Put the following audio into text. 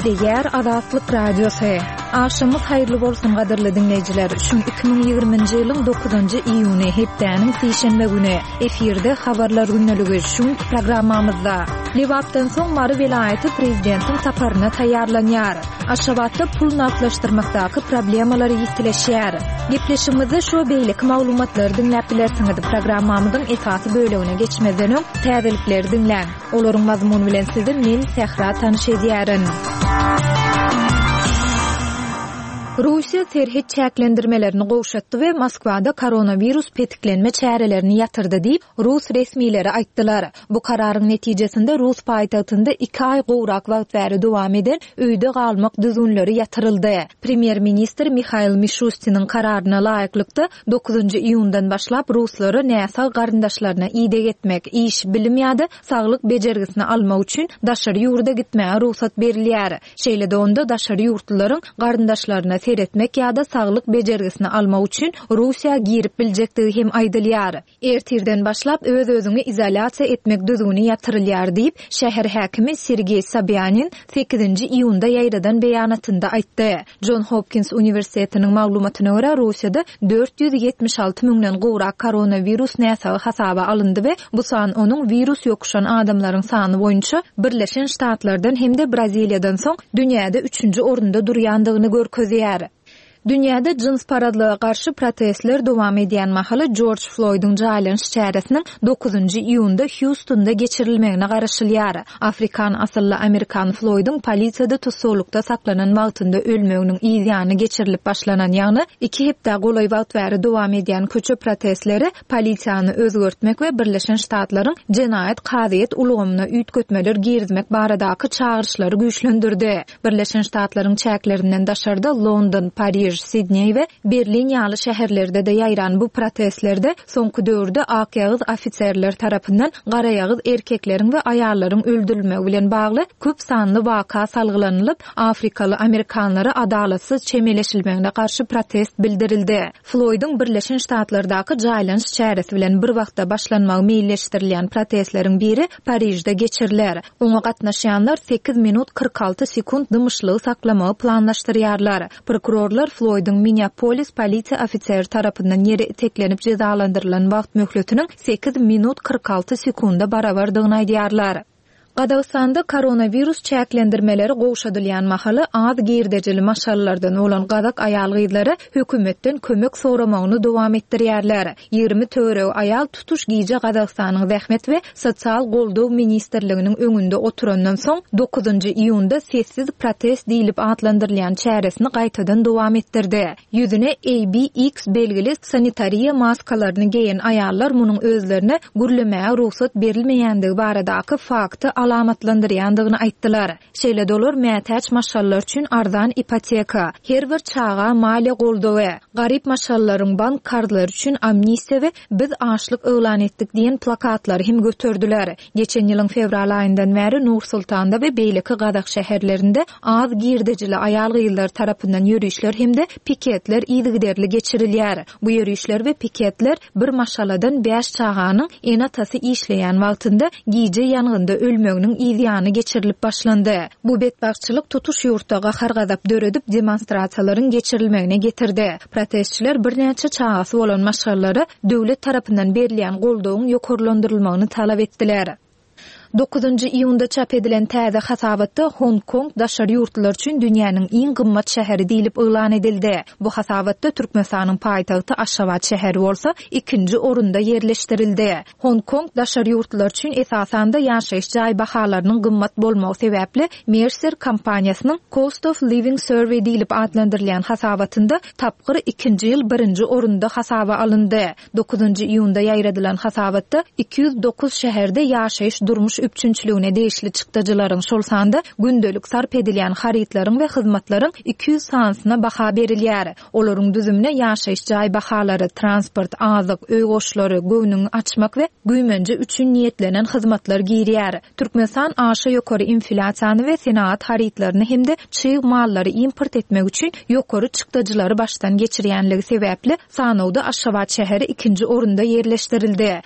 Gepleýär Azatlyk Radiosy. Agşamyňyz haýyrly bolsun gadyrly diňleýjiler. Şu gün 2020-nji ýylyň 9-njy iýuny, hepdäniň sişenbe güni. Efirde habarlar gündeligi şu günki programmamyzda. Lebapdan soň Mary welaýaty prezidentiň saparyna taýýarlanýar. Aşgabatda pul nagtlaşdyrmakdaky problemalar ýitileşýär. Gepleşigimizde şu we beýleki maglumatlary diňläp bilersiňiz. Programmamyzyň esasy bölegine geçmezden öň, täzelikleri diňläň. Olaryň mazmuny bilen sizi men, Sähra tanyş edýärin. Russiýa serhet çäklendirmelerini gowşatdy we Moskwada koronawirus petiklenme çärelerini ýatyrdy diýip, rus resmileri aýtdylar. Bu kararyň netijesinde rus paýtagtynda iki aý gowrak wagt bäri dowam eden öýde galmak düzgünleri ýatyryldy. Premýer-ministr Mihail Mişustiniň kararyna laýyklykda, dokuzynjy iýundan başlap ruslara näsag garyndaşlaryna ideg etmek, iş, bilim ýa-da saglyk bejergisini almak üçin daşary ýurda gitmäge rugsat berilýär. Şeýle-de onda daşary ýurtlularyň garyndaşlaryna seretmek ýa-da saglyk bejergisini almak üçin Russiýa girip biljekdigi hem aýdylýar. Ertirden başlap öz-özüňi izolýasiýa etmek düzgüni ýatyrylýar diýip, şäher häkimi Sergeý Sobýanin sekizinji iýunda ýaýradan beýanatynda aýtdy. Jon Hopkins uniwersitetiniň maglumatyna görä, Russiýada 476 müňden gowrak koronawirus näsagy hasaba alyndy we bu san onuň wirus ýokuşan adamlaryň sany boýunça Birleşen Ştatlardan hem-de Braziliýadan soň dünýäde üçünji orunda durýandygyny görkezýär. Dünýäde jynsparazlyga garşy protestler dowam edýän mahaly Jorj Floýdyň jaýlanyş çäresiniň dokuzynjy iýunda Hýustonda geçirilmegine garaşylýar. Afrikan asylly amerikan Floýdyň polisiýada tussaglykda saklanan wagtynda ölmeginiň yz ýany geçirilip başlanan, ýagny iki hepdä golaý wagt bäri dowam edýän köçe protestleri polisiýany özgertmek we Birleşen Ştatlaryň jenaýat kazyýet ulgamyna üýtgetmeler girizmek baradaky çagyryşlary güýçlendirdi. Birleşen Ştatlaryň çäklerinden daşarda London, Pariž, Sidneý we Berlin ýaly şäherlerde-de ýaýran bu protestlerde soňky döwürde akýagyz ofiserler tarapyndan garaýagyz erkekleriň we aýallaryň öldürilmegi bilen bagly köp sanly waka salgylanylyp, afrikaly amerikanlara adalatsyz çemeleşilmegine garşy protest bildirildi. Floýdyň Birleşen Ştatlardaky jaýlanyş çäresi bilen bir wagtda başlanmagy meýilleşdirilýän protestleriň biri Parižde geçiriler. Oňa gatnaşýanlar sekiz minut 46 sekunt dymyşlygy saklamagy planlaşdyrýarlar. Prokurorlar Floýdyň Minneapolis polisiýa ofiseri tarapyndan ýere iteklenip jezalandyrylan wagt möhletiniň sekiz minut 46 sekunda barabardygyny aýdýarlar. Gazagystanda koronawirus çäklendirmeleri gowşadylýan mahaly az girdejili maşgalalardan bolan gazak aýal-gyzlary hökümetden kömek soramagyny dowam etdirýärler. 20 töweregi aýal tutuş gije Gazagystanyň Zähmet we sosial goldaw ministrliginiň öňünde oturandan soň, dokuzynjy iýunda sessiz protest diýlip atlandyrylýan çäresini gaýtadan dowam etdirdi. Ýüzüne ABX belgili sanitariýa maskalaryny geýen aýallar munuň özlerine gürlemäge rugsat berilmeýändigi baradaky fakty alamatlandyrýandygyny aýtdylar. Şeýle-de olar mätäç maşgalalar üçin arzan ipoteka, her bir çaga maliýe goldawy, garyp maşgalalaryň bank karzlary üçin amnistiýa we Biz açlyk yglan etdik diýen plakatlary hem göterdiler. Geçen ýylyň fewral aýyndan bäri Nur-Sultanda we beýleki gazak şäherlerinde az girdejili aýal-gyzlar tarapyndan ýörişler hem-de piketler yzygiderli geçirilýär. Bu ýörişler we piketler bir maşgaladan bäş çaganyň ene-atasy işleýän wagtynda gije ýangynda ölmeginiň yz ýany geçirilip başlandy. Bu betbagtçylyk tutuş ýurtda gahar-gazap döredip, demonstrasiýalaryň geçirilmegine getirdi. Protestçiler birnäçe çagasy bolan maşgalalara döwlet tarapyndan berilýän goldawyň ýokarlandyrylmagyny talap etdiler. Dokuzynjy iýunda çap edilen täze hasabatda Hong-Kong daşary ýurtlular üçin dünýäniň iň gymmat şäheri diýlip yglan edildi. Bu hasabatda Türkmenistanyň paýtagty Aşgabat şäheri bolsa ikinji orunda ýerleşdirildi. Hong-Kong daşary ýurtlular üçin esasan-da ýaşaýyş jaý bahalarynyň gymmat bolmagy sebäpli Mercer kompaniýasynyň Cost of Living Survey diýlip atlandyrylýan hasabatynda tapgyr ikinji ýyl birinji orunda hasaba alyndy. Dokuzynjy iýunda ýaýradylan hasabatda 209 şäherde ýaşaýyş-durmuş üpjünçiligine degişli çykdajylaryň, şol sanda gündelik sarp edilýän harytlaryň we hyzmatlaryň 200 sanysyna baha berilýär. Olaryň düzümine ýaşaýyş jaý bahalary, transport, azyk, öý goşlary, göwnüňi açmak we güýmenje üçin niýetlenen hyzmatlar girýär. Türkmenistan aşa ýokary inflýasiýany we senagat harytlaryny hem-de çig mallary import etmek üçin ýokary çykdajylary başdan geçirýänligi sebäpli, sanawda Aşgabat şäheri ikinji orunda ýerleşdirildi.